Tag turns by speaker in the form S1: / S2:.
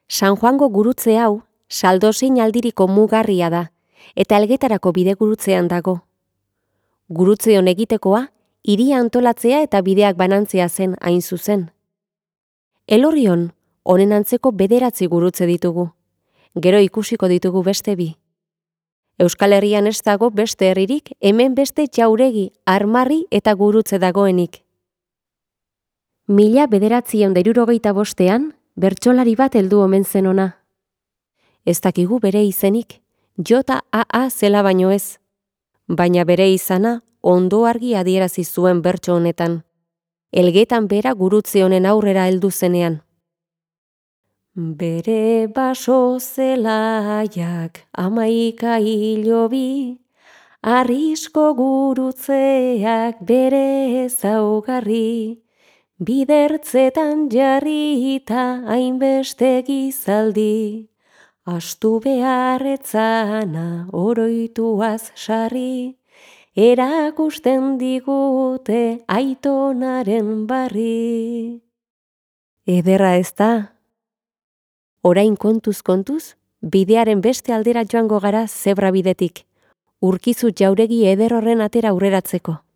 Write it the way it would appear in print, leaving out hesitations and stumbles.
S1: San Juango gurutze hau, saldozein aldiriko mugarria da, eta Elgetarako bidegurutzean dago. Gurutze hon egitekoa, hiria antolatzea eta bideak banantzea zen hain zuzen. Elorrion, honen antzeko 9 gurutze ditugu. Gero ikusiko ditugu beste 2. Euskal Herrian ez dago beste herririk, hemen beste jauregi, armarri eta gurutze dagoenik. 1965 bertsolari bat heldu omen zen ona. Ez dakigu bere izenik, J.A.A. zela baino ez, baina bere izana ondo argi adierazi zuen bertso honetan. Elgetan bera gurutze honen aurrera heldu zenean. Bere baso zelaiak 11 hilobi, arrisko gurutzeak bere ezaugarri, bidertzetan jarrita hainbeste gizaldi, astu beharretzana oroituaz sarri, erakusten digute aitonaren barri. Ederra ez da? Orain kontuz, bidearen beste aldera joango gara zebra bidetik, urkizu jauregi eder horren atera aurreratzeko.